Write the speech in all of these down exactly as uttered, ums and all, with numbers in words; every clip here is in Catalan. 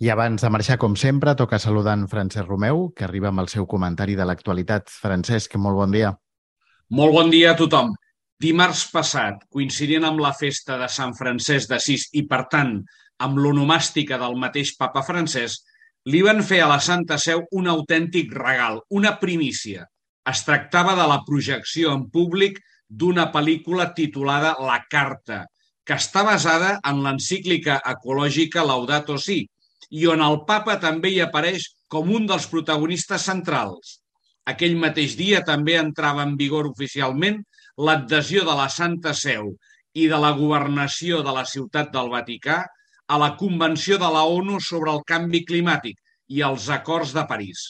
I abans de marxar, com sempre, toca saludar en Francesc Romeu, que arriba amb el seu comentari de l'actualitat. Francesc, molt bon dia. Molt bon dia a tothom. Dimarts passat, coincidint amb la festa de Sant Francesc d'Assís i, per tant, amb l'onomàstica del mateix papa Francesc, li van fer a la Santa Seu un autèntic regal, una primícia. Es tractava de la projecció en públic d'una pel·lícula titulada La Carta, que està basada en l'encíclica ecològica Laudato Si, i on el papa també hi apareix com un dels protagonistes centrals. Aquell mateix dia també entrava en vigor oficialment l'adhesió de la Santa Seu i de la governació de la Ciutat del Vaticà a la Convenció de la ONU sobre el canvi climàtic i els Acords de París.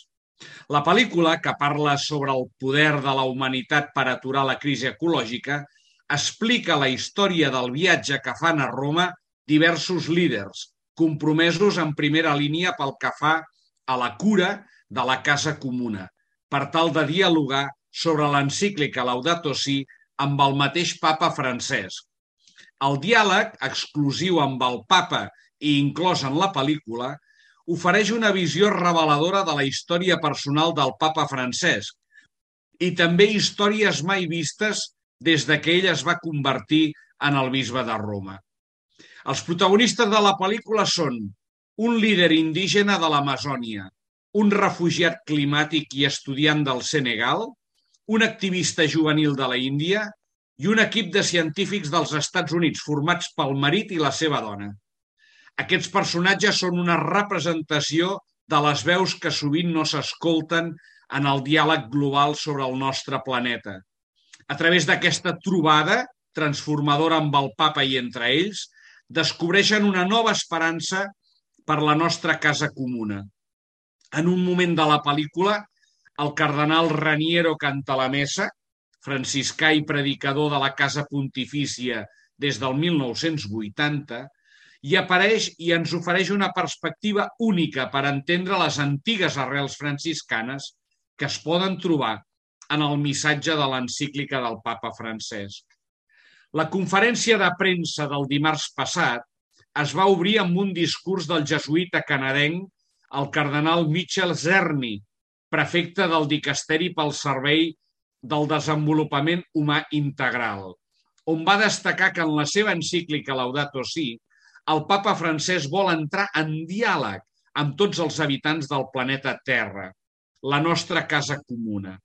La pel·lícula, que parla sobre el poder de la humanitat per aturar la crisi ecològica, explica la història del viatge que fan a Roma diversos líders, compromesos en primera línia pel que fa a la cura de la casa comuna, per tal de dialogar sobre l'encíclica Laudato Si amb el mateix papa Francesc. El diàleg, exclusiu amb el papa i inclòs en la pel·lícula, ofereix una visió reveladora de la història personal del papa Francesc i també històries mai vistes des que ell es va convertir en el bisbe de Roma. Els protagonistes de la pel·lícula són un líder indígena de l'Amazònia, un refugiat climàtic i estudiant del Senegal, un activista juvenil de la Índia i un equip de científics dels Estats Units formats pel marit i la seva dona. Aquests personatges són una representació de les veus que sovint no s'escolten en el diàleg global sobre el nostre planeta. A través d'aquesta trobada transformadora amb el papa i entre ells, descobreixen una nova esperança per la nostra casa comuna. En un moment de la pel·lícula, el cardenal Raniero Cantalamessa, franciscà i predicador de la Casa Pontifícia des del mil nou-cents vuitanta, hi apareix i ens ofereix una perspectiva única per entendre les antigues arrels franciscanes que es poden trobar en el missatge de l'encíclica del papa Francesc. La conferència de premsa del dimarts passat es va obrir amb un discurs del jesuïta canadenc, el cardenal Michel Czerny, prefecte del Dicasteri pel Servei del Desenvolupament Humà Integral, on va destacar que en la seva encíclica Laudato Si, el papa Francesc vol entrar en diàleg amb tots els habitants del planeta Terra, la nostra casa comuna.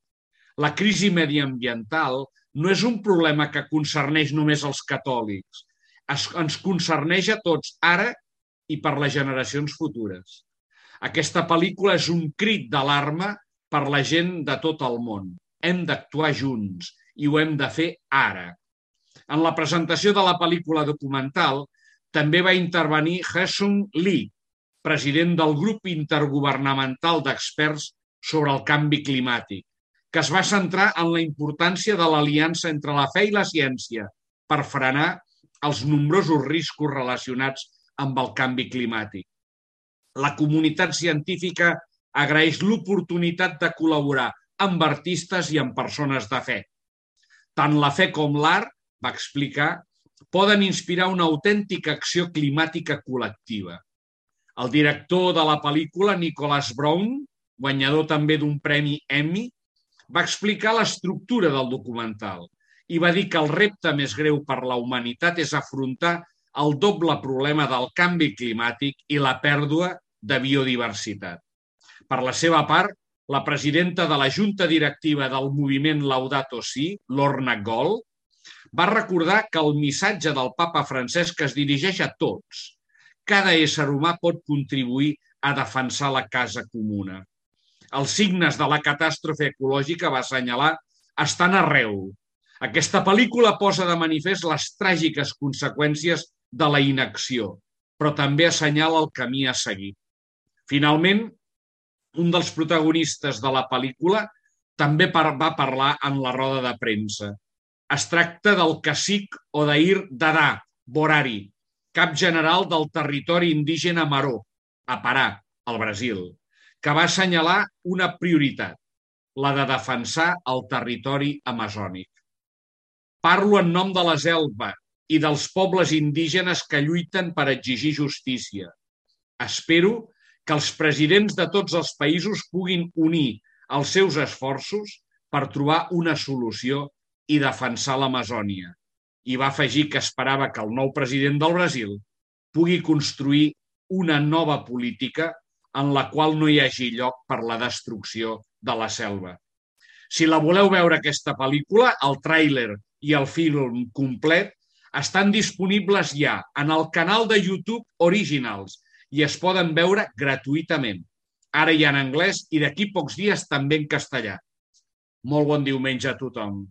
La crisi mediambiental no és un problema que concerneix només els catòlics, ens concerneix a tots ara i per les generacions futures. Aquesta pel·lícula és un crit d'alarma per la gent de tot el món. Hem d'actuar junts i ho hem de fer ara. En la presentació de la pel·lícula documental també va intervenir Haesung Lee, president del grup intergovernamental d'experts sobre el canvi climàtic, que es va centrar en la importància de l'aliança entre la fe i la ciència per frenar els nombrosos riscos relacionats amb el canvi climàtic. La comunitat científica agraeix l'oportunitat de col·laborar amb artistes i amb persones de fe. Tant la fe com l'art, va explicar, poden inspirar una autèntica acció climàtica col·lectiva. El director de la pel·lícula, Nicholas Brown, guanyador també d'un premi Emmy, va explicar l'estructura del documental i va dir que el repte més greu per la humanitat és afrontar el doble problema del canvi climàtic i la pèrdua de biodiversitat. Per la seva part, la presidenta de la Junta Directiva del moviment Laudato Si, Lorna Gold, va recordar que el missatge del papa Francesc es dirigeix a tots. Cada ésser humà pot contribuir a defensar la casa comuna. Els signes de la catàstrofe ecològica, va assenyalar, estan arreu. Aquesta pel·lícula posa de manifest les tràgiques conseqüències de la inacció, però també assenyala el camí a seguir. Finalment, un dels protagonistes de la pel·lícula també va parlar en la roda de premsa. Es tracta del cacic Odair Dadá Borari, cap general del territori indígena Maró, a Pará, al Brasil, que va assenyalar una prioritat, la de defensar el territori amazònic. Parlo en nom de la selva i dels pobles indígenes que lluiten per exigir justícia. Espero que els presidents de tots els països puguin unir els seus esforços per trobar una solució i defensar l'Amazònia. I va afegir que esperava que el nou president del Brasil pugui construir una nova política en la qual no hi hagi lloc per la destrucció de la selva. Si la voleu veure, aquesta pel·lícula, el tràiler i el film complet estan disponibles ja en el canal de YouTube Originals i es poden veure gratuïtament. Ara hi ha en anglès i d'aquí pocs dies també en castellà. Molt bon diumenge a tothom.